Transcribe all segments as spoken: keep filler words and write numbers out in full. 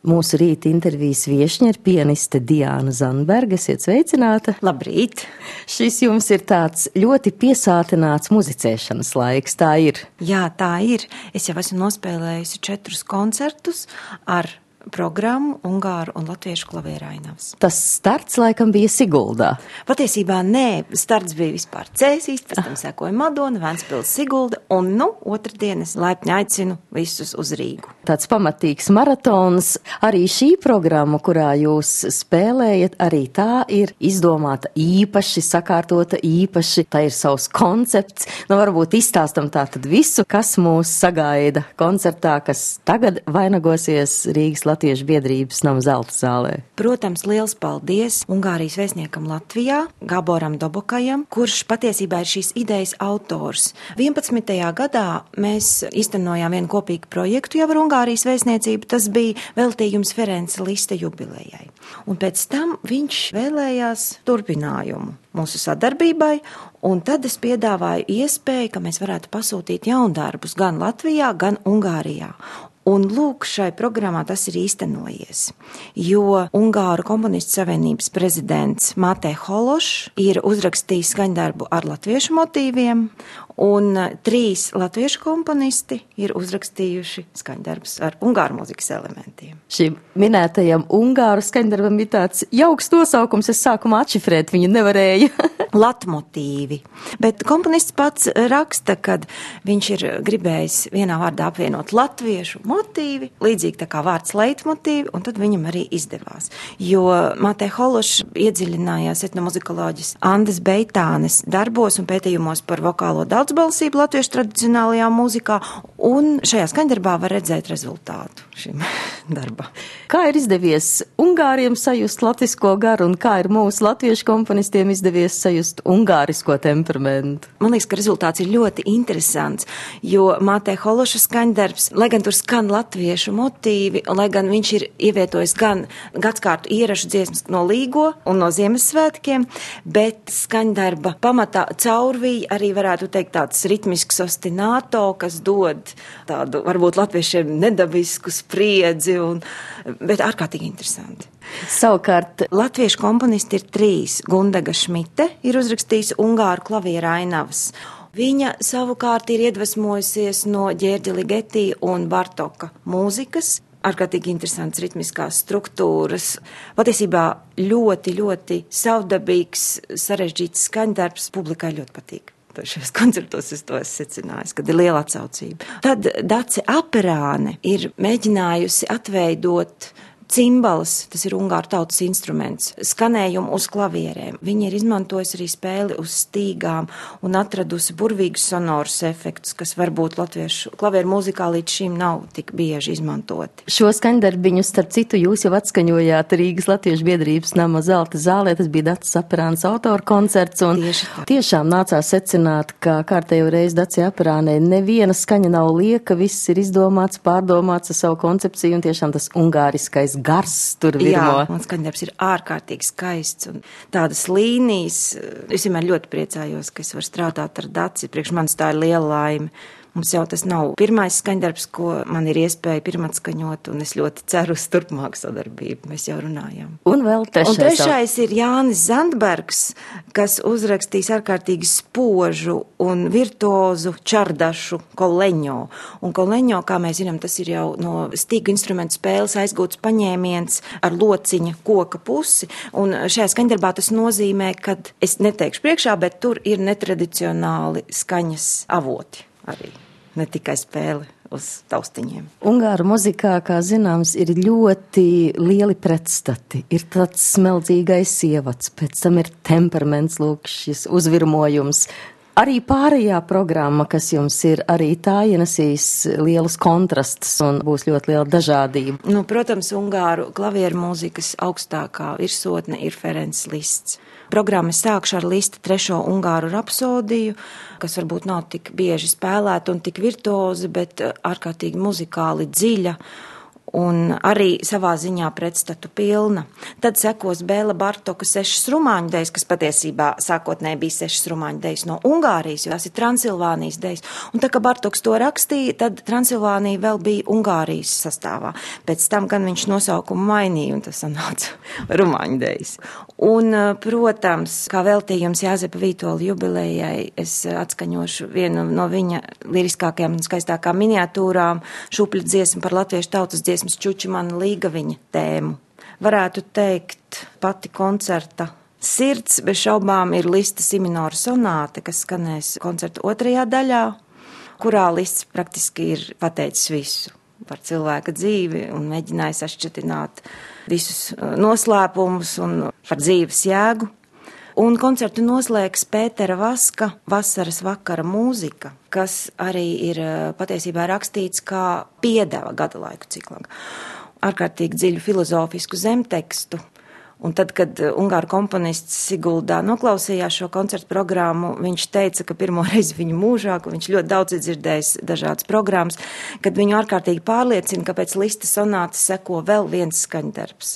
Mūsu rīta intervijas viešņa ir pianiste Diāna Zandberga. Esiet sveicināta. Labrīt! Šis jums ir tāds ļoti piesātināts muzicēšanas laiks, tā ir? Jā, tā ir. Es jau esmu nospēlējusi četrus koncertus ar programmu Ungāru un latviešu klavierainavas. Tas starts laikam bija Siguldā. Patiesībā nē, starts bija vispār Cēsīs, pēc tam sekoja Madona, Ventspils, Sigulda, un nu, otrdienas laipni aicinu visus uz Rīgu. Tāds pamatīgs maratons. Arī šī programma, kurā jūs spēlējat, arī tā ir izdomāta īpaši, sakārtota īpaši, tā ir savs koncepts. Nu, varbūt izstāstam tā tad visu, kas mūs sagaida koncertā, kas tagad vainagosies Rīgas Latviešu biedrības nama Zelta zālē. Protams, liels paldies Ungārijas vēstniekam Latvijā, Gaboram Dobokajam, kurš patiesībā ir šīs idejas autors. vienpadsmitajā gadā mēs iztenojām vienu kopīgu projektu jau ar Ungārijas vēstniecību, tas bija veltījums Ferenca Lista jubilejai. Un pēc tam viņš vēlējās turpinājumu mūsu sadarbībai, un tad es piedāvāju iespēju, ka mēs varētu pasūtīt jaundarbus gan Latvijā, gan Ungārijā. Un lūk, šai programmā tas ir īstenojies, jo Ungāru komponistu savienības prezidents Mātē Hološs ir uzrakstījis skaņdarbu ar latviešu motīviem, un trīs latviešu komponisti ir uzrakstījuši skaņdarbus ar ungāru mūzikas elementiem. Šim minētajam ungāru skaņdarbam ir tāds jauks nosaukums, es sākumā atšifrēt viņu nevarēju. Latmotīvi. Bet komponists pats raksta, kad viņš ir gribējis vienā vārdā apvienot latviešu motīvi, līdzīgi tā kā vārds leitmotīvi, un tad viņam arī izdevās. Jo Mātē Hološs iedziļinājās etnomuzikoloģis Andes Beitānes darbos un pētījumos par vokālo daudzbalsību latviešu tradicionālajā mūzikā, un šajā skaņdarbā var redzēt rezultātu šim darbam. Kā ir izdevies ungāriem sajust latvisko garu, un kā ir mūsu latviešu komponistiem izdevies sajust ungārisko temperamentu? Man liekas, ka rezultāts ir ļoti interesants, jo Mātē Hološa skaņdarbs, lai gan tur skan latviešu motīvi, lai gan viņš ir ievietojis gan gadskārtu ierašu dziesmas no Līgo un no Ziemassvētkiem, bet skaņdarba pamatā caurvīja arī varētu teikt tāds ritmisks ostināto, kas dod tādu varbūt latviešiem nedabisku spriedzi, un, bet ārkārtīgi interesanti. Savukārt, latviešu komponisti ir trīs. Gundega Šmite ir uzrakstījis ungāru klavierainavas. Viņa savukārt ir iedvesmojusies no Ģērģa Ligeti un Bartoka mūzikas. Ārkārtīgi interesants ritmiskās struktūras. Patiesībā ļoti, ļoti savdabīgs, sarežģīts skaņdarbs. Publikai ļoti patīk. Šajos koncertos es to esmu secinājis, kad ir liela atsaucība. Tad Dace Aperāne ir mēģinājusi atveidot cimbalas, tas ir ungāru tautas instruments, skanējumu uz klavierēm. Viņi ir izmantojusi arī spēli uz stīgām un atradusi burvīgus sonorus efektus, kas varbūt latviešu klavieru mūzikā līdz šim nav tik bieži izmantoti. Šo skaņdarbiņu, starp citu, jūs jau atskaņojāt Rīgas Latviešu biedrības nama Zelta zālē, tas bija Daces Aperānes autora koncerts, un tiešām nācās secināt, ka kārtējo reizi Dace Aperānei neviena skaņa nav lieka, viss ir izdomāts, pārdomāts ar savu koncepciju, un tiešām tas ungāriskais gars tur virmo. Jā, un skaņdarbs ir ārkārtīgi skaists un tādas līnijas. Es vienmēr ļoti priecājos, ka es varu strādāt ar Daci. Priekš manis tā ir liela laime. Mums jau tas nav pirmais skaņdarbs, ko man ir iespēja pirmatskaņot, un es ļoti ceru uz turpmāku sadarbību. Mēs jau runājam. Un vēl trešais. Un trešais ir Jānis Zandbergs, kas uzrakstīs ārkārtīgi spožu un virtuozu čardašu koleņo. Un koleņo, kā mēs zinām, tas ir jau no stīgu instrumentu spēles aizgūts paņēmiens ar lociņa koka pusi. Un šajā skaņdarbā tas nozīmē, kad es neteikšu priekšā, bet tur ir netradicionāli skaņas avoti. Arī ne tikai spēle uz taustiņiem. Ungāru muzikā, kā zināms, ir ļoti lieli pretstati. Ir tāds smeldzīgais ievads, pēc tam ir temperaments, lūk, šis uzvirmojums. Arī pārējā programma, kas jums ir, arī tā ienesīs lielus kontrastus un būs ļoti liela dažādība. Nu, protams, ungāru klavieru mūzikas augstākā virsotne ir Ferenc Lists. Programma sākšu ar Lista trešo ungāru rapsodiju, kas varbūt nav tik bieži spēlēta un tik virtuozi, bet ārkārtīgi muzikāli dziļa un arī savā ziņā pretstatu pilna. Tad sekos Bēla Bartoka sešas rumāņu dejas, kas patiesībā sākotnēji bija sešas rumāņu dejas no Ungārijas, jo tās ir Transilvānijas dejas. Un tā, ka Bartoks to rakstīja, tad Transilvānija vēl bija Ungārijas sastāvā. Pēc tam gan viņš nosaukumu mainīja, un tas sanāca rumāņu dejas. Un, protams, kā veltījums Jāzepa Vītola jubilejai, es atskaņošu vienu no viņa liriskākajām un skaistākām miniatūrām, šupļu dziesmu par latviešu tautas dziesmas Čučimana Līgaviņa tēmu. Varētu teikt, pati koncerta sirds bez šaubām ir Lista Siminora sonāte, kas skanēs koncerta otrajā daļā, kurā Lists praktiski ir pateicis visu par cilvēka dzīvi un mēģinājis atšķetināt visus noslēpumus un par dzīves jēgu. Un koncertu noslēgs Pētera Vaska Vasaras vakara mūzika, kas arī ir patiesībā rakstīts kā piedeva gada laiku ciklam. Ārkārtīgi dziļu filozofisku zemtekstu. Un tad, kad ungāru komponists Siguldā noklausījās šo koncertu programmu, viņš teica, ka pirmo reizi viņu mūžā, ka viņš ļoti daudz ir dzirdējis dažādas programmas, kad viņu ārkārtīgi pārliecina, ka pēc Lista sonātes seko vēl viens skaņdarbs.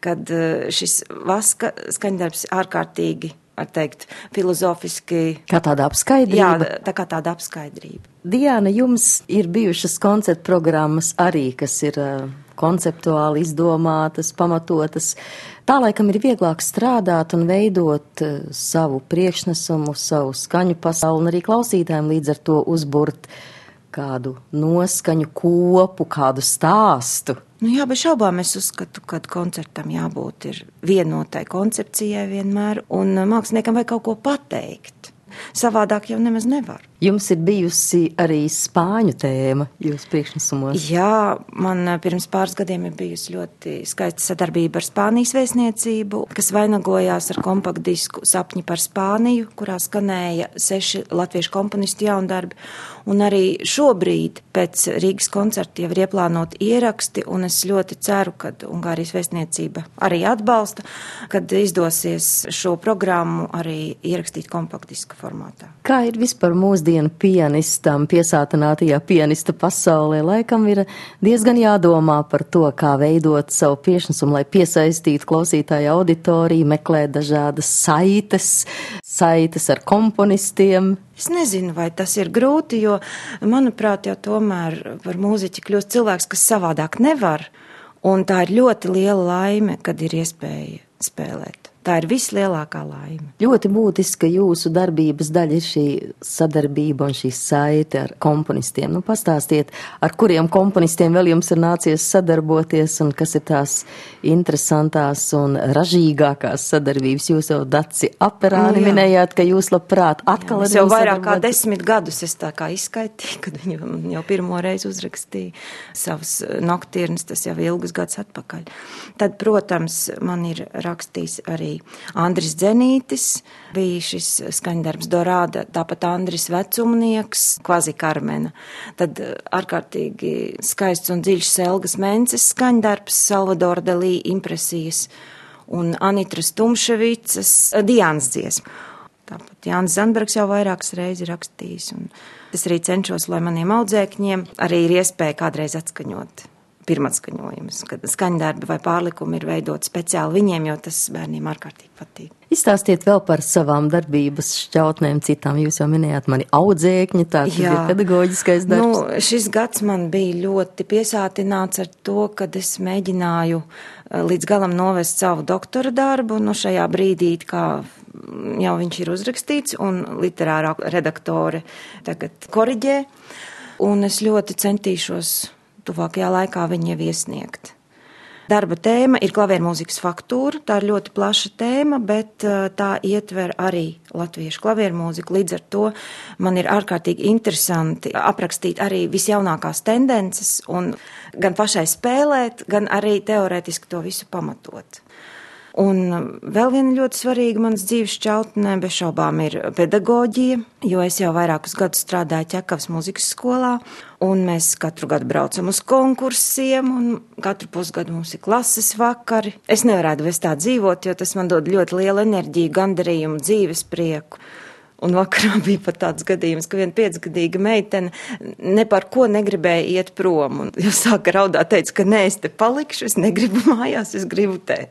Kad šis Vaska skaņdarbs ārkārtīgi, var teikt, filozofiski. Kā tāda apskaidrība? Jā, tā kā tāda apskaidrība. Diana, jums ir bijušas koncertu programmas arī, kas ir uh, konceptuāli izdomātas, pamatotas. Tā laikam ir vieglāk strādāt un veidot uh, savu priekšnesumu, savu skaņu pasauli un arī klausītājiem līdz ar to uzburt kādu noskaņu kopu, kādu stāstu. Nu jā, bez šaubām es uzskatu, ka koncertam jābūt ir vienotai koncepcijai vienmēr, un māksliniekam vajag kaut ko pateikt. Savādāk jau nemaz nevar. Jums ir bijusi arī spāņu tēma jūsu priekšnesumos. Jā, man pirms pāris gadiem ir bijusi ļoti skaista sadarbība ar Spānijas vēstniecību, kas vainagojās ar kompaktdisku Sapņi par Spāniju, kurā skanēja seši latviešu komponistu jaundarbi. Un arī šobrīd pēc Rīgas koncerta jau ir ieplānoti ieraksti, un es ļoti ceru, ka Ungārijas vēstniecība arī atbalsta, kad izdosies šo programmu arī ierakstīt kompaktdiska formātā. Kā ir vispār mūsdienu pianistam, piesātinātajā pianista pasaulē? Laikam ir diezgan jādomā par to, kā veidot savu priekšnesumu, lai piesaistītu klausītāju auditoriju, meklēt dažādas saites, saites ar komponistiem. Es nezinu, vai tas ir grūti, jo, manuprāt, jau tomēr par mūziķi kļūst cilvēks, kas savādāk nevar, un tā ir ļoti liela laime, kad ir iespēja spēlēt. Tā ir vislielākā laime. Ļoti būtiska jūsu darbības daļa ir šī sadarbība un šī saite ar komponistiem. Nu, pastāstiet, ar kuriem komponistiem vēl jums ir nācies sadarboties un kas ir tās interesantās un ražīgākās sadarbības. Jūs jau Daci Aperāni nu, minējāt, ka jūs labprāt atkal jā, ar jau vairāk kā desmit gadus es tā kā izskaitīju, kad viņi jau pirmo reizi uzrakstīja savas noktirnes, tas jau ilgus gadus atpakaļ. Tad, protams, man ir rakstījis arī Andris Dzenītis, bija šis skaņdarbs Dorāda, tāpat Andris Vecumnieks, Kvazi Karmena. Tad ārkārtīgi skaists un dziļš Selgas Mences skaņdarbs, Salvadora Dalī impresijas un Anitras Tumševicas Diānas dziesma. Tāpat Jānis Zandbergs jau vairākas reizes rakstījis, un es arī cenšos, lai maniem audzēkņiem arī ir iespēja kādreiz atskaņot pirmatskaņojumus, kad skaņdarbi vai pārlikumi ir veidoti speciāli viņiem, jo tas bērniem ārkārtīgi patīk. Izstāstiet vēl par savām darbības šķautnēm citām. Jūs jau minējāt mani audzēkņi, tā tad ir pedagoģiskais darbs. Nu, šis gads man bija ļoti piesātināts ar to, kad es mēģināju līdz galam novest savu doktora darbu, nu šajā brīdī, kā jau viņš ir uzrakstīts, un literārā redaktore tagad koriģē, un es ļoti centīšos tuvākajā laikā viņu jau iesniegt. Darba tēma ir klaviermūzikas faktūra, tā ir ļoti plaša tēma, bet tā ietver arī latviešu klaviermūziku. Līdz ar to man ir ārkārtīgi interesanti aprakstīt arī visjaunākās tendences un gan pašai spēlēt, gan arī teorētiski to visu pamatot. Un vēl viena ļoti svarīga manas dzīves šķautnē bez šaubām ir pedagoģija, jo es jau vairākus gadus strādāju Ķekavas mūzikas skolā, un mēs katru gadu braucam uz konkursiem, un katru pusgadu mums ir klases vakari. Es nevarētu bez tā dzīvot, jo tas man dod ļoti lielu enerģiju, gandarījumu, dzīves prieku. Un vakarā bija pat tāds gadījums, ka viena piecgadīga meitene ne par ko negribēja iet prom. Un jau sāka raudāt, teica, ka nē, es te palikšu, es negribu mājās, es gribu te.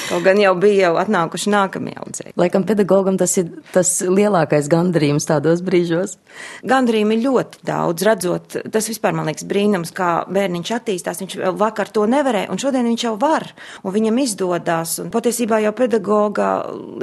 Kaut gan jau bija jau atnākuši nākamie audzēji. Laikam pedagogam tas ir tas lielākais gandarījums tādos brīžos. Gandarījumi ir ļoti daudz, redzot, tas vispār man liekas brīnums, kā bērniņš attīstās, viņš vakar to nevarēja, un šodien viņš jau var, un viņam izdodās, un patiesībā jau pedagoga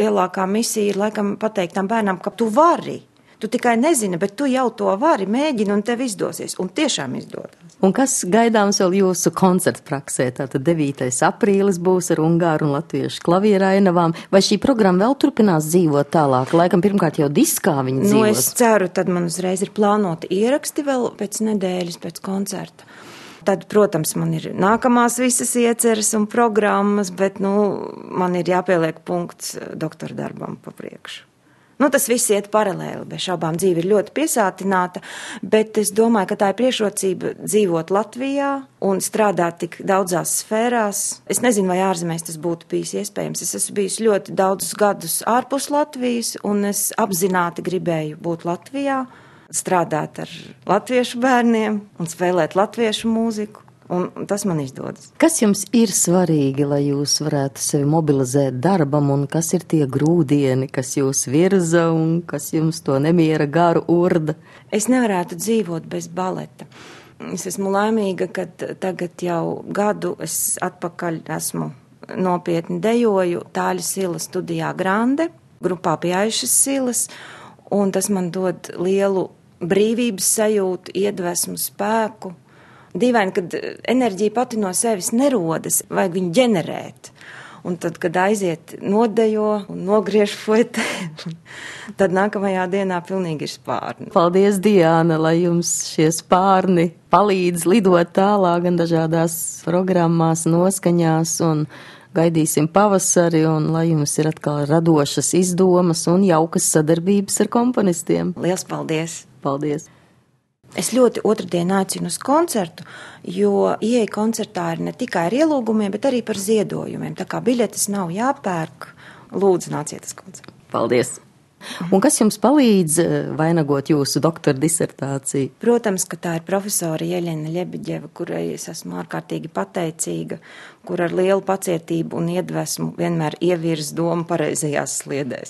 lielākā misija ir laikam pateikt tam bērnam, ka tu vari. Tu tikai nezini, bet tu jau to vari, mēģini un tev izdosies, un tiešām izdodas. Un kas gaidāms vēl jūsu koncertu praksē? Tātad devītais aprīlis būs ar ungāru un latviešu klavierāinavām. Vai šī programma vēl turpinās dzīvot tālāk? Laikam pirmkārt jau diskā viņa dzīvos. Nu, es ceru, tad man uzreiz ir plānoti ieraksti vēl pēc nedēļas, pēc koncerta. Tad, protams, man ir nākamās visas ieceres un programmas, bet, nu, man ir jāpieliek punkts doktora darbam pa priekšu. Nu, tas viss iet paralēli, bez šaubām dzīve ir ļoti piesātināta, bet es domāju, ka tā ir priekšrocība dzīvot Latvijā un strādāt tik daudzās sfērās. Es nezinu, vai ārzemēs tas būtu bijis iespējams. Es esmu bijis ļoti daudzus gadus ārpus Latvijas, un es apzināti gribēju būt Latvijā, strādāt ar latviešu bērniem un spēlēt latviešu mūziku. Un tas man izdodas. Kas jums ir svarīgi, lai jūs varētu sevi mobilizēt darbam, un kas ir tie grūdieni, kas jūs virza un kas jums to nemiera garu urda? Es nevarētu dzīvot bez baleta. Es esmu laimīga, ka tagad jau gadu es atpakaļ esmu nopietni dejoju Tāļa Sila studijā Grande, grupā pie Aišas Silas, un tas man dod lielu brīvības sajūtu, iedvesmu, spēku. Dīvaini, kad enerģija pati no sevis nerodas, vajag viņu ģenerēt. Un tad, kad aiziet nodejo un nogriež fuetē, tad nākamajā dienā pilnīgi ir spārni. Paldies, Diāna, lai jums šie spārni palīdz lidot tālāk gan dažādās programmās, noskaņās, un gaidīsim pavasari, un lai jums ir atkal radošas izdomas un jaukas sadarbības ar komponistiem. Liels paldies! Paldies! Es ļoti otrdien aicinu uz koncertu, jo ieeja koncertā ir ne tikai ar ielūgumiem, bet arī par ziedojumiem. Tā kā biļetes nav jāpērk, lūdzu nāciet uz koncertu. Paldies! Un kas jums palīdz vainagot jūsu doktora disertāciju? Protams, ka tā ir profesora Jeļena Ļebeģeva, kurai es esmu ārkārtīgi pateicīga, kur ar lielu pacietību un iedvesmu vienmēr ievirz domu pareizajās sliedēs.